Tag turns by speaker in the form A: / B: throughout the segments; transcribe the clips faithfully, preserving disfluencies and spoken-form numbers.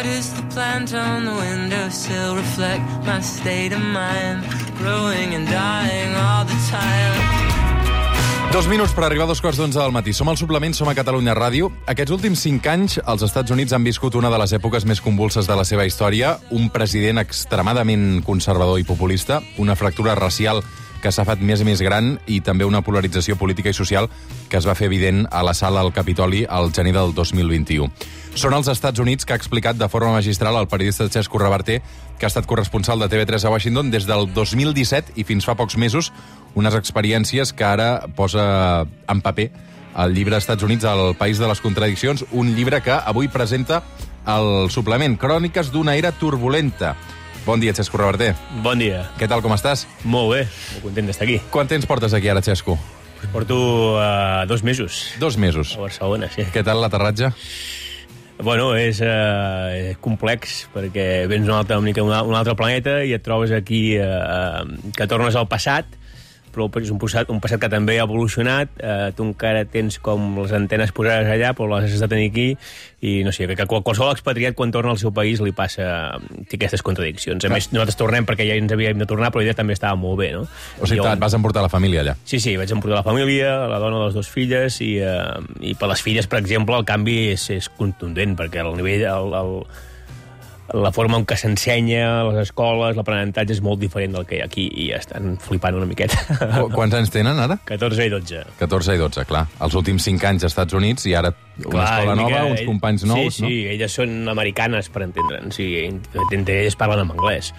A: Why does the plant on the windowsill reflect my state of mind? Growing and dying all the time.
B: Dos minuts per arribar a dos quarts d'onze del matí. Som al Suplement, som a Catalunya Ràdio. Aquests últims cinc anys, els Estats Units han viscut una de les èpoques més convulses de la seva història, un president extremadament conservador i populista, una fractura racial que s'ha fet més i més gran i també una polarització política i social que es va fer evident a la sala al Capitoli al gener del dos mil vint-i-u. Són els Estats Units que ha explicat de forma magistral el periodista Chesco Reverter, que ha estat corresponsal de T V tres a Washington des del dos mil disset i fins fa pocs mesos, unes experiències que ara posa en paper el llibre Estats Units al País de les Contradiccions, un llibre que avui presenta el Suplement, Cròniques d'una era turbulenta. Bon dia, Chesco Reverter.
C: Bon dia.
B: Què tal, com estàs?
C: Molt bé, molt content d'estar aquí.
B: Quant temps portes aquí ara, Chesco?
C: Porto uh, dos mesos.
B: Dos mesos.
C: A Barcelona, sí.
B: Què tal l'aterratge?
C: Bueno, és uh, complex, perquè vens d'un altre, un altre planeta i et trobes aquí uh, que tornes al passat, però és un passat, un passat que també ha evolucionat. Uh, tu encara tens com les antenes posades allà, però les has de tenir aquí, i no sé, que qualsevol expatriat quan torna al seu país li passa té aquestes contradiccions. A més, nosaltres tornem perquè ja ens havíem de tornar, però ella també estava molt bé, no?
B: O sigui, et vas emportar la família allà?
C: Sí, sí, vaig emportar la família, la dona de les dues filles, i, uh, i per les filles, per exemple, el canvi és, és contundent, perquè el nivell... El, el, la forma en què s'ensenya, les escoles, l'aprenentatge és molt diferent del que hi ha aquí, i ja estan flipant una miqueta.
B: Quants anys tenen, ara?
C: catorze i dotze.
B: catorze i dotze, clar. Els últims cinc anys als Estats Units i ara una clar, escola nova, mica, uns companys nous,
C: sí, sí, no? Sí, elles són americanes, per entendre'ns, i entre elles parlen en anglès.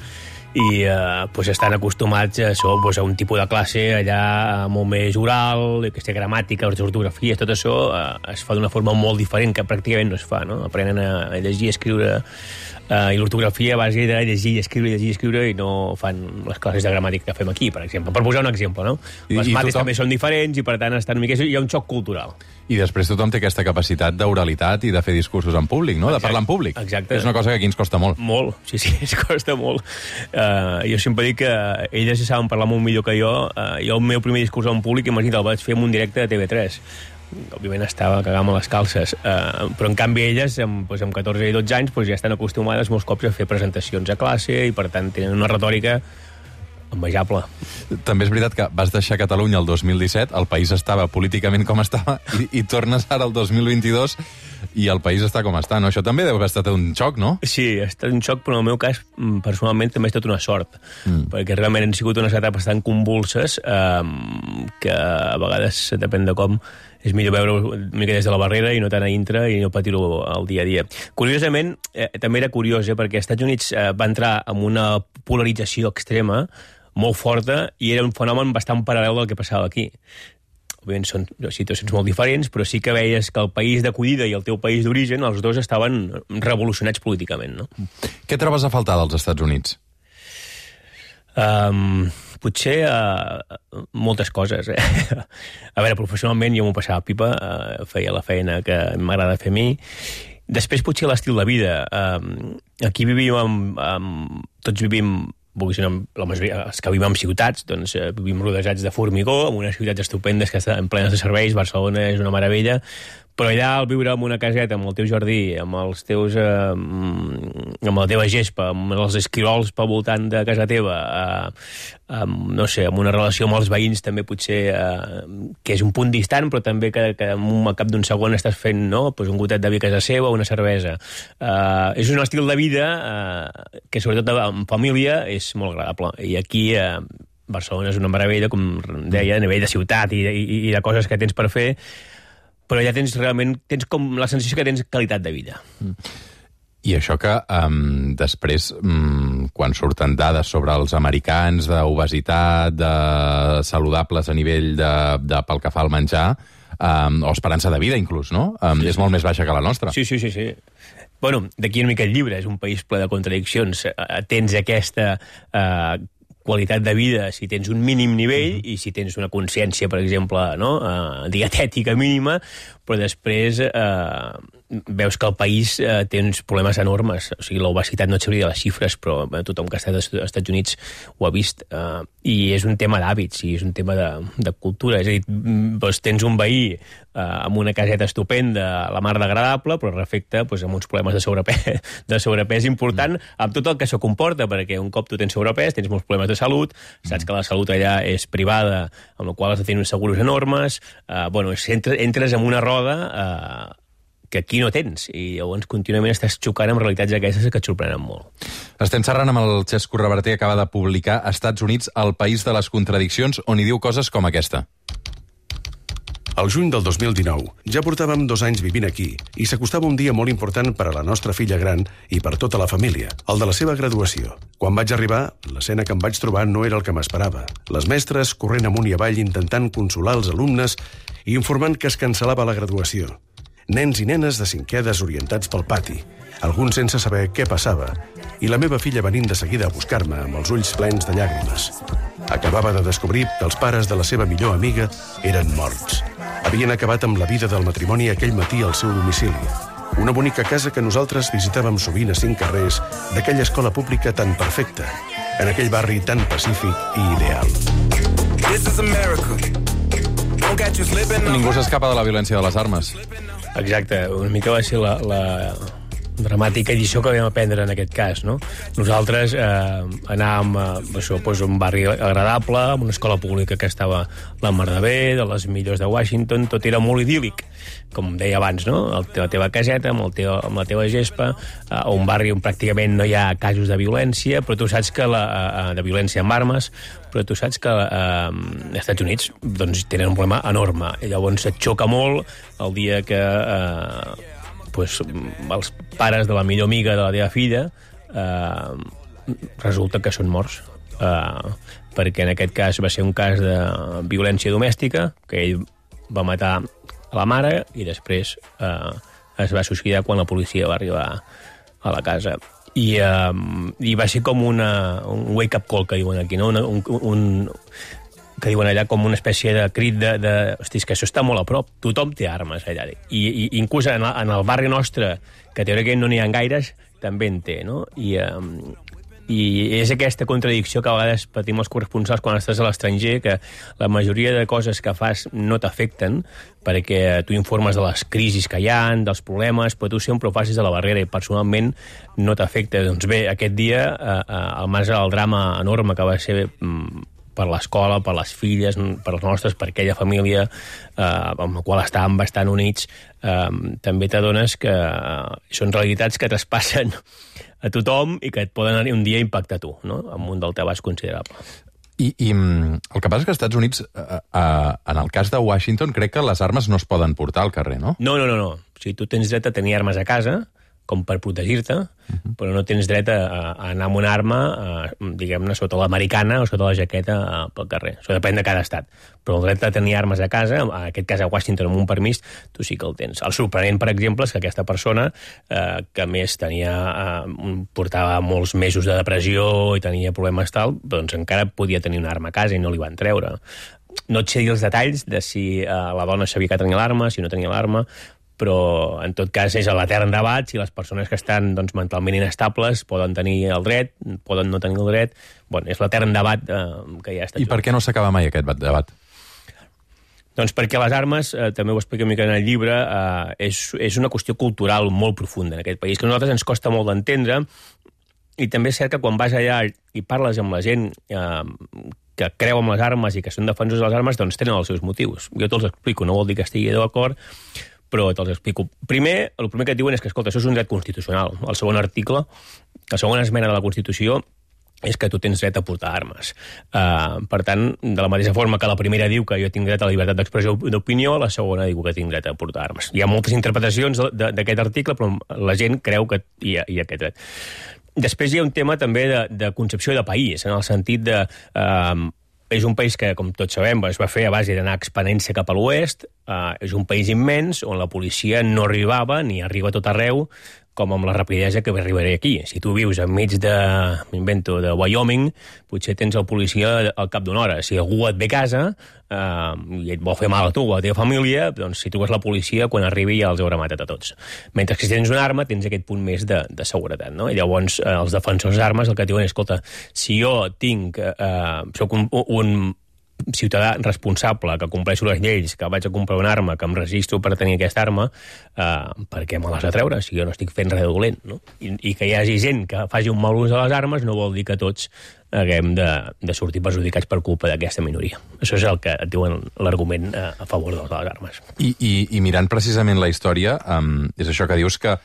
C: I eh, pues estan acostumats a, això, pues, a un tipus de classe allà molt més oral, aquesta gramàtica, les ortografies, tot això eh, es fa d'una forma molt diferent que pràcticament no es fa, no? Aprenen a llegir i escriure eh, i l'ortografia a base de llegir i escriure, llegir i escriure, i no fan les classes de gramàtica que fem aquí, per exemple. Per posar un exemple, no? I, les mates tothom... també són diferents i, per tant, estan una mica... hi ha un xoc cultural.
B: I després tothom té aquesta capacitat d'oralitat i de fer discursos en públic, no?
C: Exacte.
B: De parlar en públic.
C: Exacte.
B: És una cosa que aquí ens costa molt.
C: Molt, sí, sí, ens costa molt. Uh, jo sempre dic que elles saben parlar molt millor que jo. Uh, jo el meu primer discurs en públic, imagina't, el vaig fer en un directe de T V tres. Òbviament estava cagant-me les calces. Uh, però en canvi elles, amb, doncs, amb catorze i dotze anys, doncs, ja estan acostumades molts cops a fer presentacions a classe i, per tant, tenen una retòrica envejable.
B: També és veritat que vas deixar Catalunya el dos mil disset, el país estava políticament com estava, i, i tornes ara el dos mil vint-i-dos i el país està com està, no? Això també deu haver estat un xoc, no?
C: Sí, ha estat un xoc, però en el meu cas, personalment, també ha estat una sort, mm. perquè realment han sigut unes etapes tan convulses eh, que a vegades, depèn de com, és millor veure una mica des de la barrera i no tant a dintre i no patir-ho al dia a dia. Curiosament, eh, també era curiós, eh, perquè als Estats Units eh, va entrar en una polarització extrema molt forta i era un fenomen bastant paral·lel del que passava aquí. Òbviament són situacions molt diferents, però sí que veies que el país d'acollida i el teu país d'origen, els dos estaven revolucionats políticament, no?
B: Què trobes a faltar dels Estats Units?
C: Um, potser uh, moltes coses, eh? A veure, professionalment jo m'ho passava pipa, uh, feia la feina que m'agrada fer a mi. Després potser l'estil de vida. Um, aquí vivim amb, amb... Tots vivim... la majoria, els que vivim en ciutats, doncs eh, vivim rodejats de formigó, en unes ciutats estupendes que estan plenes de serveis. Barcelona és una meravella, però allà al viure en una caseta, amb el teu jardí, amb els teus eh, amb la teva gespa, amb els esquirols pel voltant de casa teva, eh, amb, no sé, amb una relació amb els veïns també potser eh, que és un punt distant, però també que, que al cap d'un segon estàs fent, no?, pues un gotet de vi a casa seva, una cervesa. Eh, és un estil de vida eh, que sobretot en família és molt agradable, i aquí eh, Barcelona és una meravella, com deia, a nivell de ciutat i, i, i de coses que tens per fer, però ja tens realment, tens com la sensació que tens qualitat de vida.
B: I això que um, després, um, quan surten dades sobre els americans d'obesitat, de saludables a nivell de, de pel que fa al menjar, um, o esperança de vida inclús, no? Um, sí, és sí. molt més baixa que la nostra.
C: Sí, sí, sí, sí. Bueno, d'aquí una mica el llibre, és un país ple de contradiccions. Tens aquesta... Uh, qualitat de vida si tens un mínim nivell, mm-hmm. i si tens una consciència, per exemple, no? uh, dietètica mínima, però després eh, veus que el país eh, té uns problemes enormes. O sigui, l'obesitat no et sabria de les xifres, però eh, tothom que ha estat als Estats Units ho ha vist. Eh, I és un tema d'hàbits, i és un tema de, de cultura. És a dir, doncs, tens un veí eh, amb una caseta estupenda, la mar d'agradable, però refecte doncs, amb uns problemes de sobrepès, de sobrepès important, amb tot el que això comporta, perquè un cop tu tens sobrepès, tens molts problemes de salut, saps que la salut allà és privada, amb la qual has de tenir uns seguros enormes, eh, bueno, entres, entres en una roda eh, que aquí no tens, i llavors contínuament estàs xocant amb realitats aquestes que et sorprenen molt.
B: Estem xerrant amb el Xesco Reverter, acaba de publicar Estats Units, el país de les contradiccions, on hi diu coses com aquesta.
D: Al juny del dos mil dinou ja portàvem dos anys vivint aquí i s'acostava un dia molt important per a la nostra filla gran i per tota la família, el de la seva graduació. Quan vaig arribar, l'escena que em vaig trobar no era el que m'esperava. Les mestres corrent amunt i avall intentant consolar els alumnes i informant que es cancel·lava la graduació. Nens i nenes de cinquè desorientats pel pati, alguns sense saber què passava, i la meva filla venint de seguida a buscar-me amb els ulls plens de llàgrimes. Acabava de descobrir que els pares de la seva millor amiga eren morts. Havien acabat amb la vida del matrimoni aquell matí al seu domicili. Una bonica casa que nosaltres visitàvem sovint a cinc carrers d'aquella escola pública tan perfecta, en aquell barri tan pacífic i ideal.
B: Ningú s'escapa de la violència de les armes.
C: Exacte, una mica va ser la, la dramàtica lliçó que vam aprendre en aquest cas, no? Nosaltres eh, anàvem a, això, doncs, un barri agradable, amb una escola pública que estava la mar de bé, de les millors de Washington, tot era molt idíl·lic, com deia abans, no? La teva caseta, amb, el teu, amb la teva gespa, eh, un barri on pràcticament no hi ha casos de violència, però tu saps que la, eh, de violència amb armes, però tu saps que eh, als Estats Units doncs, tenen un problema enorme. I llavors et xoca molt el dia que eh, pues, els pares de la millor amiga de la teva filla eh, resulta que són morts. Eh, perquè en aquest cas va ser un cas de violència domèstica, que ell va matar a la mare i després eh, es va suïcidar quan la policia va arribar a la casa. I, uh, i va ser com una, un wake-up call, que diuen aquí, no? Una, un, un, que diuen allà com una espècie de crit de, de hosti, és que això està molt a prop, tothom té armes allà. I, i inclús en, en el barri nostre, que teòricament no n'hi ha gaires, també en té, no? I, um, I és aquesta contradicció que a vegades patim els corresponsals quan estàs a l'estranger, que la majoria de coses que fas no t'afecten, perquè tu informes de les crisis que hi ha, dels problemes, però tu sempre ho facis a la barrera i personalment no t'afecta. Doncs bé, aquest dia, eh, al marge del drama enorme que va ser mm, per l'escola, per les filles, per les nostres, per aquella família eh, amb la qual estàvem bastant units, eh, també t'adones que són realitats que traspassen a tothom i que et poden anar un dia impactar a tu, no? Amb un deltabàs considerable.
B: I, I el que passa és que als Estats Units, eh, eh, en el cas de Washington, crec que les armes no es poden portar al carrer, no?
C: No, no, no. no. O sigui, tu tens dret a tenir armes a casa, com per protegir-te, uh-huh. però no tens dret a, a anar amb una arma, a, diguem-ne, sota l'americana o sota la jaqueta a, pel carrer. Això depèn de cada estat. Però el dret a tenir armes a casa, en aquest cas a Washington amb un permís, tu sí que el tens. El sorprenent, per exemple, és que aquesta persona, eh, que a més tenia, eh, portava molts mesos de depressió i tenia problemes tal, doncs encara podia tenir una arma a casa i no li van treure. No et sé dir els detalls de si eh, la dona sabia que tenia l'arma, si no tenia l'arma, però en tot cas és l'etern debat si les persones que estan doncs, mentalment inestables poden tenir el dret, poden no tenir el dret. Bueno, és l'etern debat eh, que ja està.
B: I per què no s'acaba mai aquest debat?
C: Doncs perquè les armes, eh, també ho explico una mica en el llibre, eh, és, és una qüestió cultural molt profunda en aquest país, que a nosaltres ens costa molt d'entendre, i també és cert que quan vas allà i parles amb la gent eh, que creu en les armes i que són defensors de les armes, doncs tenen els seus motius. Jo te'ls explico, no vol dir que estigui d'acord, però te'ls explico. Primer, el primer que et diuen és que, escolta, això és un dret constitucional. El segon article, la segona esmena de la Constitució, és que tu tens dret a portar armes. Uh, per tant, de la mateixa forma que la primera diu que jo tinc dret a la llibertat d'expressió d'opinió, la segona diu que tinc dret a portar armes. Hi ha moltes interpretacions d'aquest article, però la gent creu que hi ha, hi ha aquest dret. Després hi ha un tema també de, de concepció de país, en el sentit de... Uh, és un país que, com tots sabem, es va fer a base d'anar expanent-se cap a l'oest, Uh, és un país immens on la policia no arribava ni arriba a tot arreu com amb la rapidesa que arribaré aquí. Si tu vius enmig de, m'invento, de Wyoming, potser tens el policia al cap d'una hora. Si algú et ve a casa uh, i et vol fer mal a tu o a la teva família, doncs si truques la policia, quan arribi ja els haurà matat a tots. Mentre que si tens una arma, tens aquest punt més de, de seguretat, no? I llavors uh, els defensors d'armes el que et diuen és, escolta, si jo tinc, uh, soc un, un ciutadà responsable, que compleixo les lleis, que vaig a comprar una arma, que em registro per tenir aquesta arma, eh, per què me l'has de treure si jo no estic fent res dolent, no? I, I que hi hagi gent que faci un mal ús de les armes no vol dir que tots haguem de, de sortir perjudicats per culpa d'aquesta minoria. Això és el que et diuen l'argument eh, a favor de les armes.
B: I, i, i mirant precisament la història, um, és això que dius que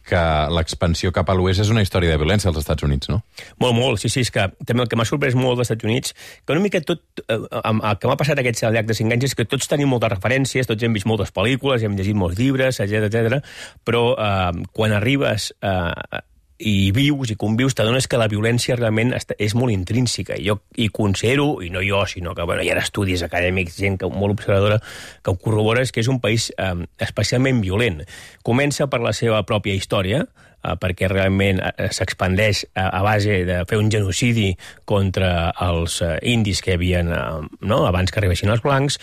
B: que l'expansió cap a l'oest és una història de violència als Estats Units, no?
C: Molt, molt, sí, sí, és que també el que m'ha sorprès molt dels Estats Units, que una mica tot, eh, el que m'ha passat aquests al llarg de cinc anys és que tots tenim moltes referències, tots hem vist moltes pel·lícules, hem llegit molts llibres, etcètera, etcètera, però eh, quan arribes eh, i vius i convius, t'adones que la violència realment és molt intrínseca. Jo hi considero, i no jo, sinó que bueno, hi ha estudis acadèmics, gent que, molt observadora, que ho corrobora, és que és un país eh, especialment violent. Comença per la seva pròpia història, eh, perquè realment eh, s'expandeix a, a base de fer un genocidi contra els eh, indis que hi havia eh, no? abans que arribessin els blancs,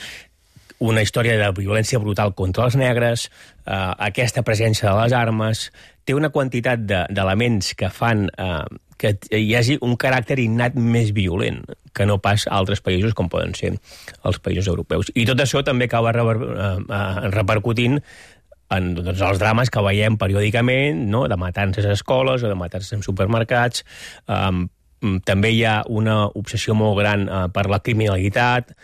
C: una història de violència brutal contra els negres, eh, aquesta presència de les armes, té una quantitat d'elements de, que fan eh, que hi hagi un caràcter innat més violent que no pas a altres països com poden ser els països europeus. I tot això també acaba rever, eh, repercutint en doncs, els drames que veiem periòdicament, no? De matances a escoles o de matances en supermercats. Eh, també hi ha una obsessió molt gran eh, per la criminalitat.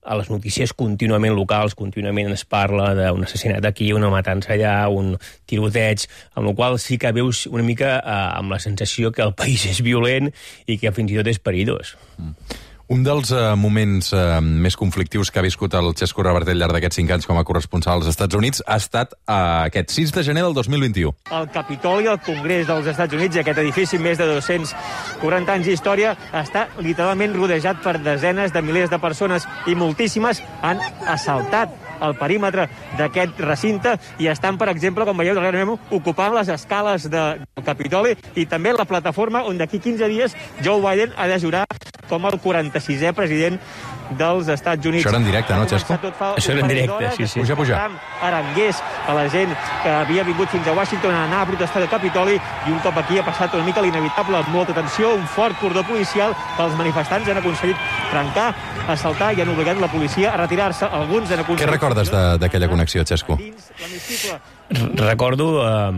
C: A les notícies contínuament locals, contínuament es parla d'un assassinat aquí, una matança allà, un tiroteig, amb la qual sí que veus una mica eh, amb la sensació que el país és violent i que fins i tot és perillós.
B: Mm. Un dels uh, moments uh, més conflictius que ha viscut el Xesco Reverter al llarg d'aquests cinc anys com a corresponsal als Estats Units ha estat uh, aquest sis de gener del dos mil vint-i-u.
E: El Capitoli, el Congrés dels Estats Units, aquest edifici amb més de dos-cents quaranta anys d'història, està literalment rodejat per desenes de milers de persones i moltíssimes han assaltat el perímetre d'aquest recinte i estan, per exemple, com veieu darrere meu, ocupant les escales de, del Capitoli i també la plataforma on d'aquí quinze dies Joe Biden ha de jurar com el quaranta-sisè president dels Estats Units.
B: Això era en directe, no, Xesco?
C: Això era en directe, sí, sí.
B: Puja, puja.
E: Arangués a la gent que havia vingut fins a Washington a anar a protestar del Capitoli i un cop aquí ha passat una mica l'inevitable, amb molta tensió, un fort cordó policial que els manifestants han aconseguit trencar, assaltar i han obligat la policia a retirar-se. Alguns han aconseguit...
B: Què recordes d'aquella connexió, Xesco?
C: Recordo eh,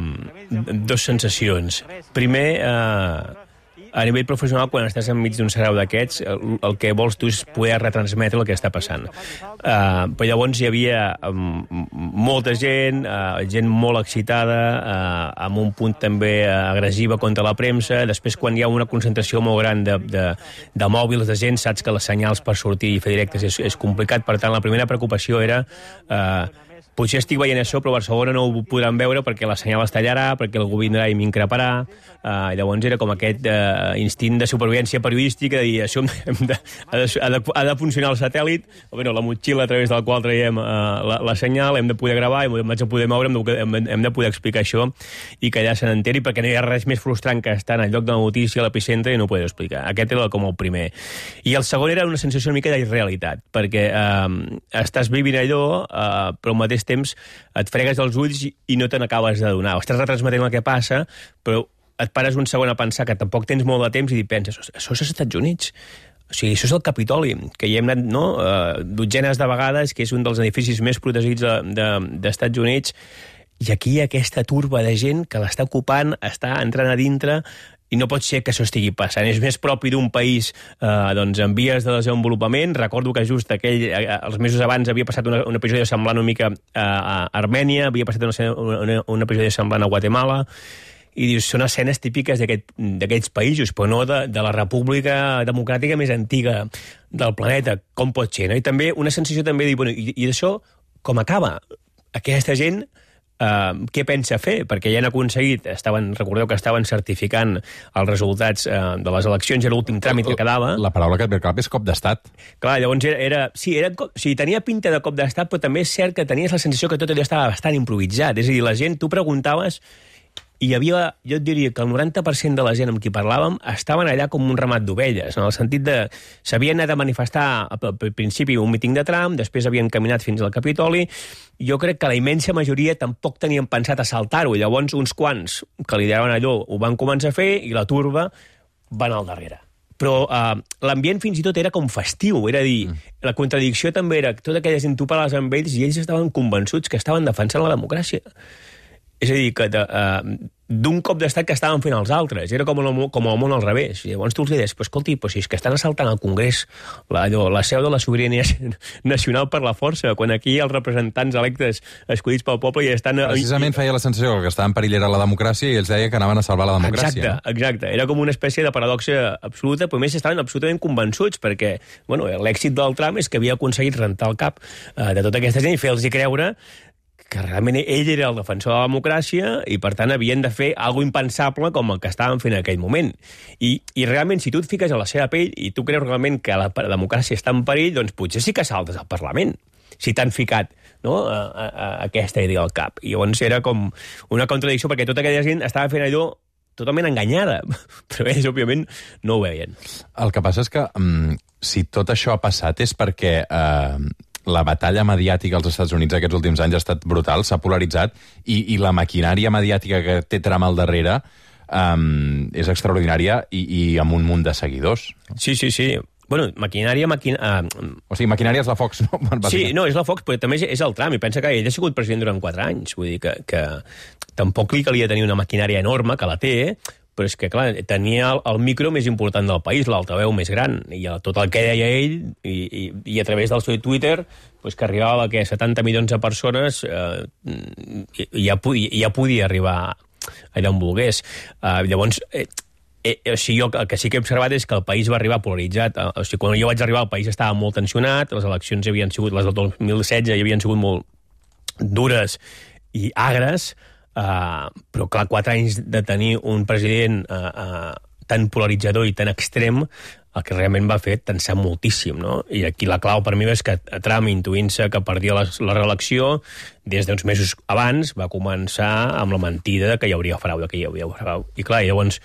C: dos sensacions. Primer, eh, a nivell professional, quan estàs enmig d'un sarau d'aquests, el, el que vols tu és poder retransmetre el que està passant. Uh, però llavors hi havia um, molta gent, uh, gent molt excitada, uh, amb un punt també uh, agressiva contra la premsa. Després, quan hi ha una concentració molt gran de, de, de mòbils de gent, saps que les senyals per sortir i fer directes és, és complicat. Per tant, la primera preocupació era... Uh, potser estic veient això, però a Barcelona no ho podran veure perquè la senyal es tallarà, perquè algú vindrà i m'increparà. Uh, llavors era com aquest uh, instint de supervivència periodística de dir, això hem de, ha, de, ha, de, ha de funcionar el satèl·lit, o bueno, la motxilla a través del qual traiem uh, la, la senyal, hem de poder gravar, hem de poder moure, hem de, hem, hem de poder explicar això i que allà se n'enteri, perquè no hi ha res més frustrant que estar en el lloc de la notícia, a l'epicentre, i no ho poder explicar. Aquest era com el primer. I el segon era una sensació una mica d'irrealitat, perquè uh, estàs vivint allò, uh, però al mateix temps et fregues els ulls i no te n'acabes de donar. Estàs retransmetent el que passa, però et pares un segon a pensar que tampoc tens molt de temps i penses, això és als Estats Units. O sigui, això és el Capitoli, que hi hem anat no, uh, dotzenes de vegades, que és un dels edificis més protegits de, de, d'Estats Units, i aquí hi ha aquesta turba de gent que l'està ocupant, està entrant a dintre, i no pot ser que això estigui passant. És més propi d'un país eh, doncs, en vies de desenvolupament. Recordo que just aquell, eh, els mesos abans havia passat una, una episodi semblant una mica eh, a Armènia, havia passat una, una, una episodi semblant a Guatemala, i dius, són escenes típiques d'aquests països, però no de, de la república democràtica més antiga del planeta. Com pot ser? No? I també una sensació també de dir, bueno, i, i d'això com acaba? Aquesta gent uh, què pensa fer, perquè ja han aconseguit, estaven, recordeu que estaven certificant els resultats uh, de les eleccions, era l'últim tràmit que quedava.
B: La paraula que et ve al cap és cop d'estat.
C: Clar, llavors era... era sí, era, sí, tenia pinta de cop d'estat, però també és cert que tenies la sensació que tot allò estava bastant improvisat. És a dir, la gent, tu preguntaves... I hi havia, jo et diria que el noranta per cent de la gent amb qui parlàvem estaven allà com un ramat d'ovelles, en el sentit de... S'havien anat a manifestar al principi un míting de Trump, després havien caminat fins al Capitoli. Jo crec que la immensa majoria tampoc tenien pensat assaltar-ho, i llavors uns quants que lideraven allò ho van començar a fer i la turba van al darrere. Però uh, l'ambient fins i tot era com festiu, era a dir, mm. la contradicció també era que tota aquella gent tu parlaves amb ells i ells estaven convençuts que estaven defensant la democràcia. És a dir, que de, uh, d'un cop d'estat que estaven fent els altres. Era com el, com el món al revés. I llavors tu els deies, pues, escolti, pues, si és que estan assaltant al Congrés, la, allò, la seu de la sobirania nacional per la força, quan aquí els representants electes escollits pel poble ja estan...
B: Precisament feia la sensació que estava en perill era la democràcia i ells deia que anaven a salvar la democràcia.
C: Exacte,
B: no?
C: exacte. Era com una espècie de paradoxa absoluta, però més estaven absolutament convençuts, perquè bueno, l'èxit del Trump és que havia aconseguit rentar el cap uh, de tota aquesta gent i fer-los creure que realment ell era el defensor de la democràcia i, per tant, havien de fer alguna impensable com el que estaven fent en aquell moment. I, i realment, si tu et fiques a la seva pell i tu creus realment que la democràcia està en perill, doncs potser sí que saltes al Parlament, si t'han ficat no, a, a, a aquesta idea al cap. I llavors era com una contradicció, perquè tota aquella gent estava fent allò totalment enganyada, però ells, òbviament, no ho veien.
B: El que passa és que, um, si tot això ha passat és perquè... Uh, la batalla mediàtica als Estats Units aquests últims anys ha estat brutal, s'ha polaritzat, i, i la maquinària mediàtica que té Trump al darrere um, és extraordinària i, i amb un munt de seguidors.
C: Sí, sí, sí. Bueno, maquinària... Maquin... Uh...
B: O sigui, maquinària és la Fox, no?
C: Sí, no, és la Fox, però també és el Trump, i pensa que ell ha sigut president durant quatre anys, vull dir que, que tampoc li calia tenir una maquinària enorme, que la té, però és que, clar, tenia el, el micro més important del país, l'altaveu més gran, i tot el que deia ell, i, i, i a través del seu Twitter, pues, que arribava a setanta milions de persones, eh, ja, podia, ja podia arribar allà on volgués. Eh, llavors, eh, eh, o sigui, jo el que sí que he observat és que el país va arribar polaritzat. Eh, o sigui, quan jo vaig arribar, el país estava molt tensionat, les eleccions havien sigut, les del dos mil setze, hi havien sigut molt dures i agres, Uh, però clar, quatre anys de tenir un president uh, uh, tan polaritzador i tan extrem, el que realment va fer tensar moltíssim, no? I aquí la clau per mi és que Trump, intuint-se que perdia la, la reelecció, des d'uns mesos abans va començar amb la mentida que hi hauria frau, que hi hauria frau. I clar, llavors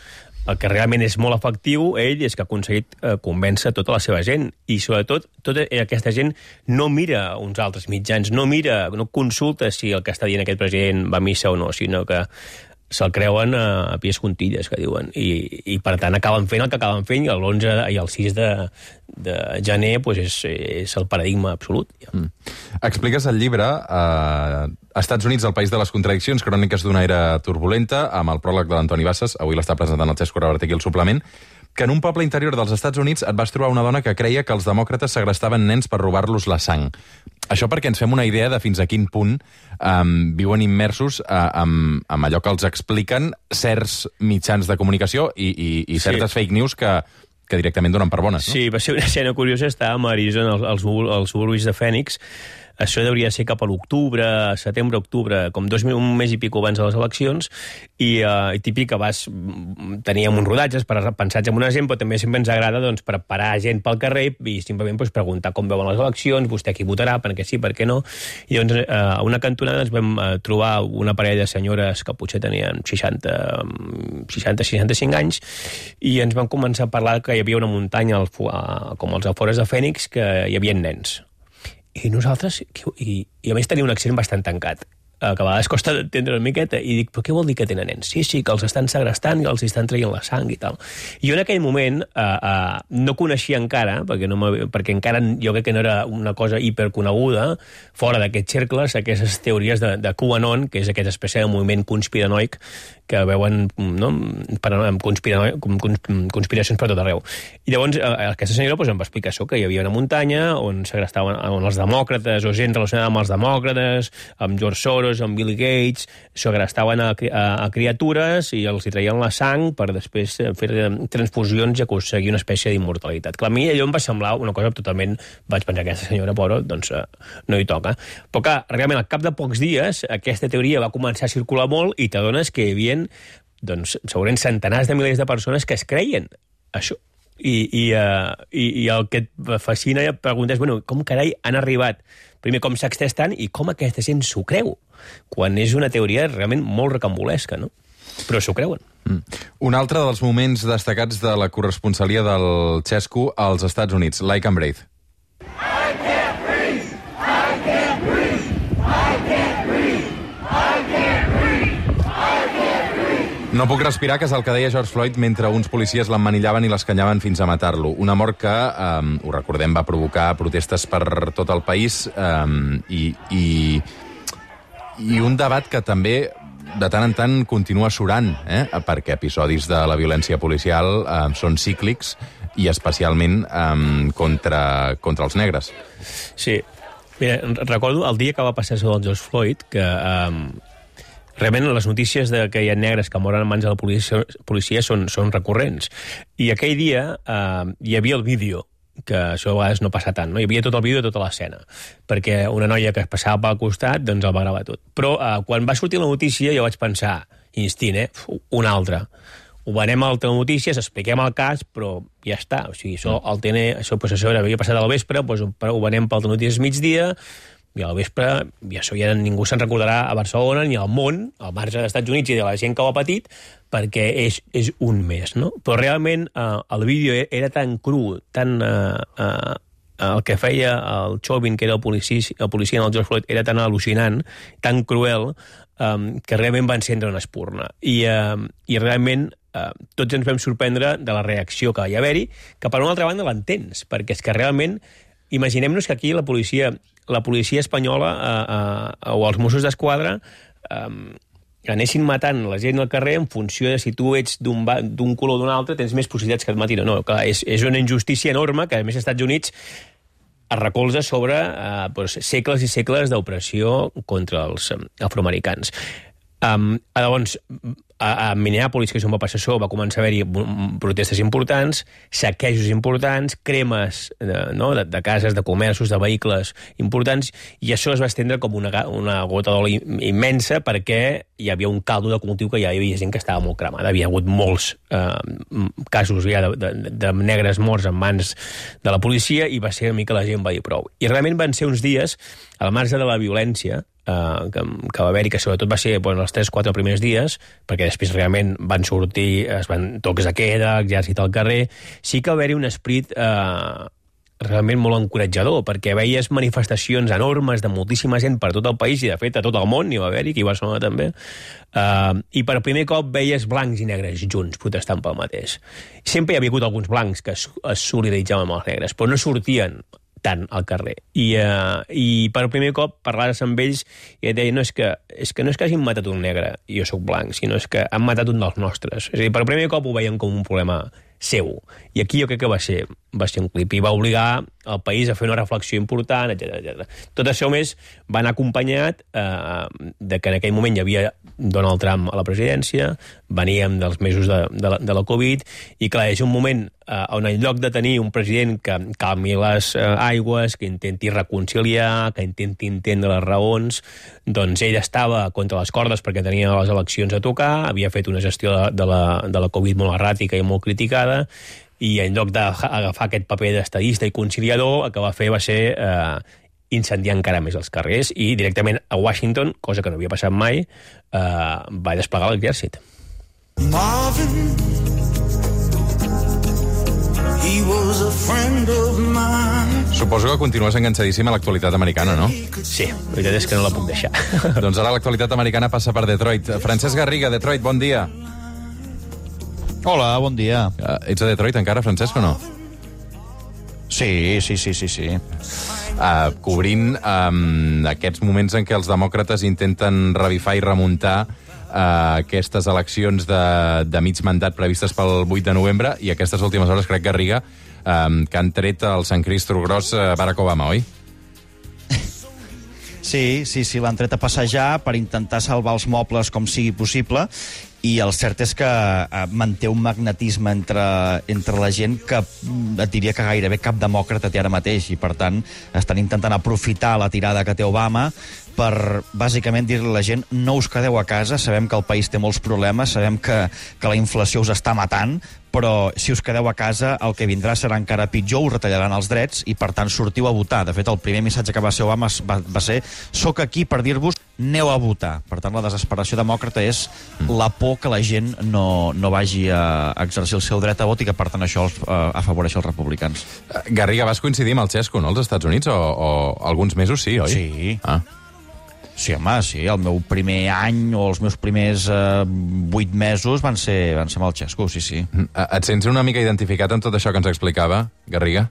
C: el que realment és molt efectiu, ell, és que ha aconseguit eh, convèncer tota la seva gent. I, sobretot, tota aquesta gent no mira uns altres mitjans, no mira, no consulta si el que està dient aquest president va a missa o no, sinó que se'l creuen a, a pies juntilles, que diuen. I, i, per tant, acaben fent el que acaben fent, i l'onze i el sis de, de gener pues és, és el paradigma absolut. Ja.
B: Mm. Expliques al llibre eh, Estats Units, el país de les contradiccions, cròniques d'una era turbulenta, amb el pròleg de l'Antoni Bassas, avui l'està presentant el Cesc Correberta aquí al suplement, que en un poble interior dels Estats Units et vas trobar una dona que creia que els demòcrates segrestaven nens per robar-los la sang. Això perquè ens fem una idea de fins a quin punt um, viuen immersos uh, amb, amb allò que els expliquen certs mitjans de comunicació i, i, i certes sí. fake news que, que directament donen per bones. No?
C: Sí, va ser una escena curiosa, estàvem a Arizona, als, als suburbis de Phoenix. Això hauria de ser cap a l'octubre, setembre, octubre, com dos mil, un mes i pico abans de les eleccions, i, uh, i típic que vas... Teníem uns rodatges per, pensats en una gent, però també sempre ens agrada doncs, preparar gent pel carrer i simplement doncs, preguntar com veuen les eleccions, vostè qui votarà, per què sí, per què no. I doncs uh, a una cantonada ens vam uh, trobar una parella de senyores que potser tenien seixanta, seixanta-seixanta-cinc anys, i ens van començar a parlar que hi havia una muntanya al, uh, com als afores de Phoenix, que hi havia nens. I nosaltres, i, i a més tenia un accent bastant tancat, que a vegades costa d'entendre una miqueta, i dic, però què vol dir que tenen nens? Sí, sí, que els estan segrestant i els estan traient la sang i tal. I jo en aquell moment eh, eh, no coneixia encara, perquè, no perquè encara jo crec que no era una cosa hiperconeguda, fora d'aquests cercles, aquestes teories de, de QAnon, que és aquesta espècie de moviment conspiranoic que veuen no, conspira, conspiracions per tot arreu. I llavors aquesta senyora doncs, em va explicar això, que hi havia una muntanya on segrestaven on els demòcrates o gent relacionada amb els demòcrates, amb George Soros, Soros, amb Bill Gates, segrestaven a, a, a criatures i els hi traien la sang per després fer transfusions i aconseguir una espècie d'immortalitat. Clar, a mi allò em va semblar una cosa totalment... Vaig pensar que aquesta senyora, però, doncs, no hi toca. Però, clar, realment, al cap de pocs dies, aquesta teoria va començar a circular molt i t'adones que hi havia, doncs, segurament centenars de milers de persones que es creien això. I, i, uh, i, i el que et fascina i et preguntes, bueno, com carai han arribat? Primer, com s'ha extès tant i com aquesta gent s'ho creu? Quan és una teoria realment molt recambolesca, no? Però s'ho creuen.
B: Mm. Un altre dels moments destacats de la corresponsalia del Xesco als Estats Units, Like and Breathe.
F: I can't breathe! I can't breathe! I can't breathe! I can't breathe! I can't breathe!
B: No puc respirar, que és el que deia George Floyd mentre uns policies l'emmanillaven i l'escanyaven fins a matar-lo. Una mort que, eh, ho recordem, va provocar protestes per tot el país eh, i, i, i un debat que també de tant en tant continua surant, eh? Perquè episodis de la violència policial eh, són cíclics i especialment eh, contra, contra els negres.
C: Sí. Mira, recordo el dia que va passar això del George Floyd, que eh, realment les notícies de que hi ha negres que moren en mans de la policia, policia són, són recurrents. I aquell dia eh, hi havia el vídeo, que això a vegades no passa tant, no? Hi havia tot el vídeo de tota l'escena, perquè una noia que es passava pel costat doncs el va gravar tot. Però eh, quan va sortir la notícia jo vaig pensar, instint, eh? Una altra. Ho venem a l'altra notícies, expliquem el cas, però ja està. O sigui, això, el T N, això, pues, això havia passat al vespre, doncs, ho venem per altra notícies migdia, i al vespre, i això ja ningú se'n recordarà a Barcelona ni al món, al marge dels Estats Units i de la gent que ho ha patit, perquè és, és un mes, no? Però realment eh, el vídeo era tan cru, tan... Eh, eh, el que feia el Chauvin, que era el policia, el policia en el George Floyd, era tan al·lucinant, tan cruel, eh, que realment va encendre una espurna. I, eh, i realment eh, tots ens vam sorprendre de la reacció que va haver-hi, que per una altra banda l'entens, perquè és que realment imaginem-nos que aquí la policia... la policia espanyola eh, eh, o els Mossos d'Esquadra eh, anessin matant la gent al carrer en funció de si tu ets d'un color o d'un altre, tens més possibilitats que et matin o no. Clar, és, és una injustícia enorme que, a més, als Estats Units es recolza sobre eh, doncs, segles i segles d'opressió contra els eh, afroamericans. Um, llavors, a, a Minneapolis, que és on va passar això, va començar a haver-hi protestes importants, saquejos importants, cremes de, no, de, de cases, de comerços, de vehicles importants, i això es va estendre com una, una gota d'oli immensa perquè hi havia un caldo de cultiu que ja hi havia gent que estava molt cremada. Havia hagut molts eh, casos ja de, de, de negres morts en mans de la policia i va ser una mica la gent va dir prou. I realment van ser uns dies, al marge de la violència, Uh, que, que va haver-hi, que sobretot va ser bueno, els tres o quatre primers dies, perquè després realment van sortir, es van tocs de queda, exèrcit al carrer, sí que va haver-hi un esperit uh, realment molt encoratjador, perquè veies manifestacions enormes de moltíssima gent per tot el país, i de fet a tot el món hi va haver-hi, aquí a Barcelona també, uh, i per primer cop veies blancs i negres junts protestant pel mateix. Sempre hi havia hagut alguns blancs que es, es solidaritzaven amb els negres, però no sortien tant al carrer. I, uh, i per primer cop parlaves amb ells i et deia, no, és que, és que no és que hagin matat un negre i jo sóc blanc, sinó és que han matat un dels nostres. És a dir, per primer cop ho veien com un problema seu. I aquí jo crec que va ser, va ser un clip i va obligar el país a fer una reflexió important, etcètera etcètera. Tot això més va anar acompanyat eh, de que en aquell moment hi havia Donald Trump a la presidència, veníem dels mesos de, de, la, de la Covid, i clar, és un moment eh, on en lloc de tenir un president que calmi les eh, aigües, que intenti reconciliar, que intenti entendre les raons, doncs ell estava contra les cordes perquè tenia les eleccions a tocar, havia fet una gestió de, de, la, de la Covid molt erràtica i molt criticada, i en lloc d'agafar aquest paper d'estadista i conciliador, el que va fer va ser eh, incendiar encara més els carrers, i directament a Washington, cosa que no havia passat mai, eh, va desplegar l'exèrcit.
G: Marvin, he was a friend of mine.
B: Suposo que continues enganxadíssim a l'actualitat americana, no?
C: Sí, la veritat és que no la puc deixar.
B: Doncs ara l'actualitat americana passa per Detroit. Francesc Garriga, Detroit, bon dia.
H: Hola, bon dia.
B: Uh, ets a Detroit encara, Francesc, o no?
H: Sí, sí, sí, sí, sí.
B: Uh, cobrint um, aquests moments en què els demòcrates intenten revifar i remuntar uh, aquestes eleccions de, de mig mandat previstes pel vuit de novembre, i aquestes últimes hores, crec, Garriga, um, que han tret el Sant Cristro Gros uh, Barack Obama, oi?
H: Sí, sí, sí, l'han tret a passejar per intentar salvar els mobles com sigui possible, i el cert és que eh, manté un magnetisme entre, entre la gent que mm, et diria que gairebé cap demòcrata té ara mateix, i per tant estan intentant aprofitar la tirada que té Obama per, bàsicament, dir-li a la gent: no us quedeu a casa, sabem que el país té molts problemes, sabem que, que la inflació us està matant, però si us quedeu a casa el que vindrà serà encara pitjor, us retallaran els drets i, per tant, sortiu a votar. De fet, el primer missatge que va ser Obama va, va ser: soc aquí per dir-vos, aneu a votar. Per tant, la desesperació demòcrata és la por que la gent no, no vagi a exercir el seu dret a vot, i que, per tant, això els, uh, afavoreix els republicans.
B: Garriga, vas coincidir amb el Xesco, no?, als Estats Units, o, o alguns mesos sí, oi?
H: Sí.
B: Ah.
H: Sí, home, sí, el meu primer any o els meus primers eh, vuit mesos van ser, van ser amb el Xesco, sí, sí.
B: Et sents una mica identificat amb tot això que ens explicava, Garriga?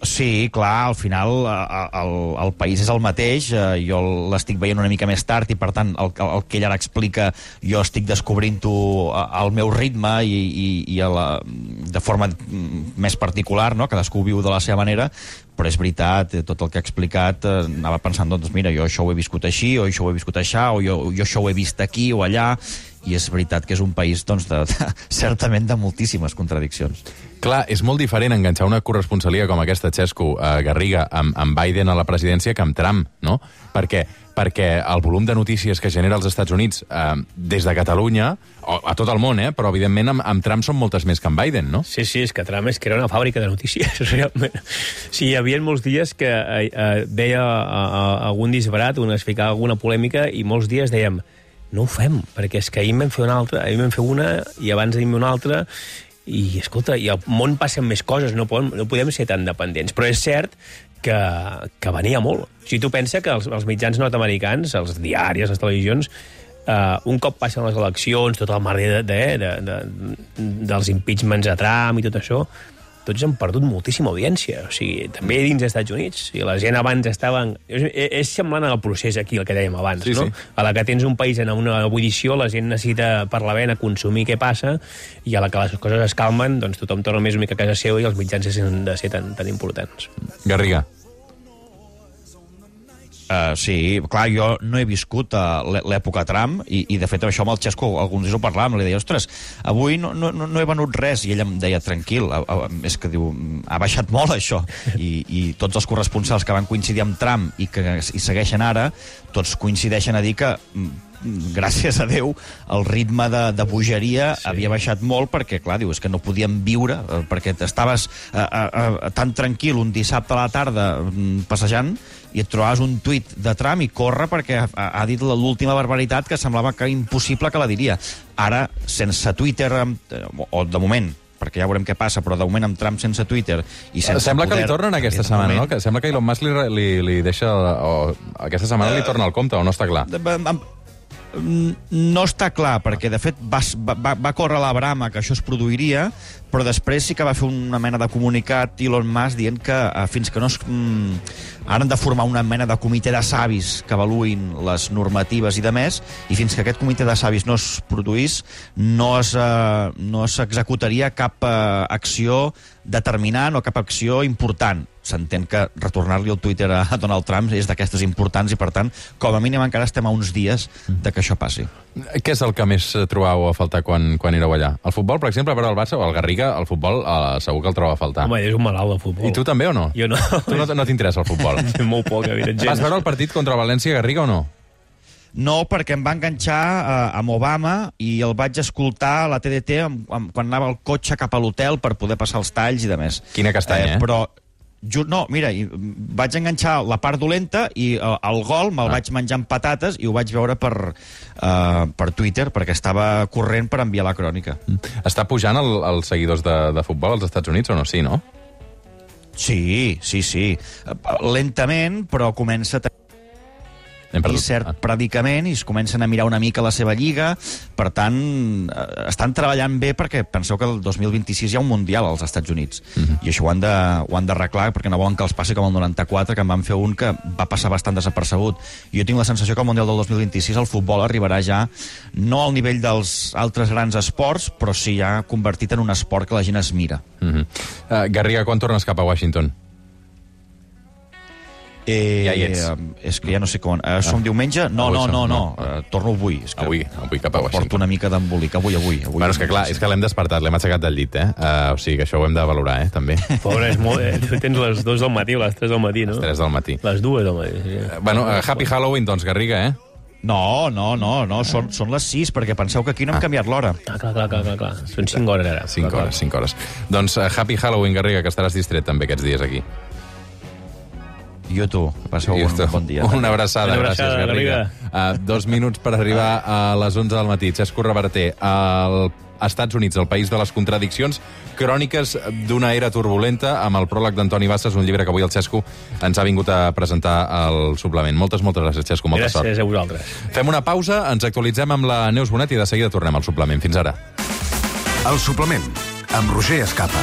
H: Sí, clar, al final el, el país és el mateix, jo l'estic veient una mica més tard i, per tant, el, el que ell ara explica jo estic descobrint-ho al meu ritme i, i, i a la, de forma més particular, no? Cadascú viu de la seva manera, però és veritat, tot el que ha explicat, eh, anava pensant, doncs mira, jo això ho he viscut així, o això ho he viscut aixà, o jo, jo això ho he vist aquí o allà, i és veritat que és un país, doncs, de, de, certament de moltíssimes contradiccions.
B: Clar, és molt diferent enganxar una corresponsalia com aquesta, Xesco, a Garriga, amb, amb Biden a la presidència, que amb Trump, no? Perquè, perquè el volum de notícies que genera als Estats Units eh, des de Catalunya, o a tot el món, eh? Però evidentment amb, amb Trump són moltes més que amb Biden, no?
C: Sí, sí, és que Trump és que era una fàbrica de notícies, realment. Sí, hi havia molts dies que eh, eh, veia a, a, algun disbarat, un es ficava alguna polèmica, i molts dies dèiem: no ho fem, perquè és que ahir en vam fer una altra, ahir en vam fer una, i abans d'ahir una altra, i, escolta, i al món passen més coses, no podem, no podem ser tan dependents. Però és cert que, que venia molt. Si tu penses que els, els mitjans nord-americans, els diaris, les televisions, uh, un cop passen les eleccions, tot el merder de, de, de, de, dels impeachments a Trump i tot això, tots han perdut moltíssima audiència. O sigui, també dins dels Estats Units. O sigui, la gent abans estaven... És, és semblant al procés aquí, el que dèiem abans, sí, no? Sí. A la que tens un país en una ebullició, la gent necessita per la vena consumir què passa, i a la que les coses es calmen, doncs tothom torna més una mica a casa seva i els mitjans han de ser tan, tan importants.
B: Garriga.
H: Uh, sí, clar, jo no he viscut uh, l'època Trump, i, i de fet això amb el Xesco alguns dies ho parlàvem, li deia: ostres, avui no, no, no he venut res, i ell em deia: tranquil, uh, uh, és que diu, ha baixat molt això, i, i tots els corresponsals que van coincidir amb Trump i que hi segueixen ara, tots coincideixen a dir que, gràcies a Déu, el ritme de, de bogeria sí. havia baixat molt, perquè, clar, diu, és que no podíem viure, eh, perquè estaves eh, eh, tan tranquil un dissabte a la tarda mm, passejant, i et trobaves un tuit de Trump i corre perquè ha, ha dit l'última barbaritat que semblava que impossible que la diria. Ara, sense Twitter, o de moment, perquè ja veurem què passa, però de moment amb Trump sense Twitter i sense
B: sembla
H: poder,
B: que li tornen aquesta setmana,
H: moment,
B: no? Que sembla que Elon Musk li, li, li deixa... O, aquesta setmana li torna al compte, o no està clar?
H: No està clar, perquè de fet va, va, va córrer la brama que això es produiria, però després sí que va fer una mena de comunicat Elon Musk dient que eh, fins que no es... Mm, ara han de formar una mena de comitè de savis que avaluïn les normatives i de més, i fins que aquest comitè de savis no es produís, no es, eh, no s'executaria cap eh, acció determinant o cap acció important. S'entén que retornar-li el Twitter a Donald Trump és d'aquestes importants i, per tant, com a mínim encara estem a uns dies de que això passi.
B: Què és el que més trobàveu a faltar quan, quan éreu allà? El futbol, per exemple, per al Barça o el Garriga, el futbol eh, segur que el troba a faltar.
C: Home, és un malalt de futbol.
B: I tu també o no?
C: Jo no.
B: Tu no, no t'interessa el futbol?
C: Molt poc, evidentment.
B: Vas veure el partit contra el València, Garriga, o no?
H: No, perquè em va enganxar eh, amb Obama i el vaig escoltar a la T D T amb, amb, quan anava al cotxe cap a l'hotel per poder passar els talls i de més.
B: Quina castanya, eh?
H: eh? Però Just, no, mira, vaig enganxar la part dolenta i uh, el gol me'l ah. vaig menjar amb patates i ho vaig veure per, uh, per Twitter, perquè estava corrent per enviar la crònica.
B: Està pujant el, els seguidors de, de futbol als Estats Units o no? Sí, no?
H: Sí, sí, sí. Lentament, però comença a tenir i cert ah. predicament, i es comencen a mirar una mica la seva lliga. Per tant, estan treballant bé, perquè penseu que el dos mil vint-i-sis hi ha un Mundial als Estats Units, uh-huh. i això ho han de, ho han d'arreglar, perquè no volen que els passi com el noranta-quatre, que en van fer un que va passar bastant desapercebut. Jo tinc la sensació que el Mundial del dos mil vint-i-sis el futbol arribarà ja no al nivell dels altres grans esports, però sí ja convertit en un esport que la gent es mira.
B: Uh-huh. uh, Garriga, quan tornes cap a Washington?
H: Eh,
B: Ja hi ets.
H: És que ja no sé com... Eh, som diumenge? No,
B: Avui
H: no,
B: som,
H: no, no.
B: no.
H: Eh, torno avui. És que
B: Avui, avui cap a Washington.
H: Porto una mica d'embolic. Avui, avui. avui
B: Bueno, és que clar, és que l'hem despertat, l'hem aixecat del llit, eh? Uh, o sigui que això ho hem de valorar, eh, també.
C: Pobre, és molt... Eh, tu tens les dues del matí o les tres del matí, no?
B: Les tres del matí.
C: Les dues del matí, sí.
B: Uh, bueno, uh, Happy Halloween, doncs, Garriga, eh?
H: No, no, no, no. Són, són les sis, perquè penseu que aquí no hem
B: Ah.
H: canviat l'hora.
C: Ah, clar, clar, clar, clar, clar. Són cinc hores ara.
B: Cinc
C: Clar,
B: hores, cinc hores. Doncs uh, Happy Halloween, Garriga, que estaràs distret també aquests dies aquí.
H: Jo tu, que passeu
B: I
H: un
B: esto,
H: bon dia.
B: Una abraçada,
C: Una
B: gràcies,
C: abraçada,
B: Garriga. Uh, dos minuts per arribar a les onze del matí. Xesco Reverter, als Estats Units, el país de les contradiccions, cròniques d'una era turbulenta, amb el pròleg d'Antoni Bassas, un llibre que avui el Xesco ens ha vingut a presentar al suplement. Moltes, moltes gràcies, Xesco, molta
C: Gràcies
B: sort.
C: a vosaltres.
B: Fem una pausa, ens actualitzem amb la Neus Bonet i de seguida tornem al suplement. Fins ara.
I: El suplement, amb Roger Escapa.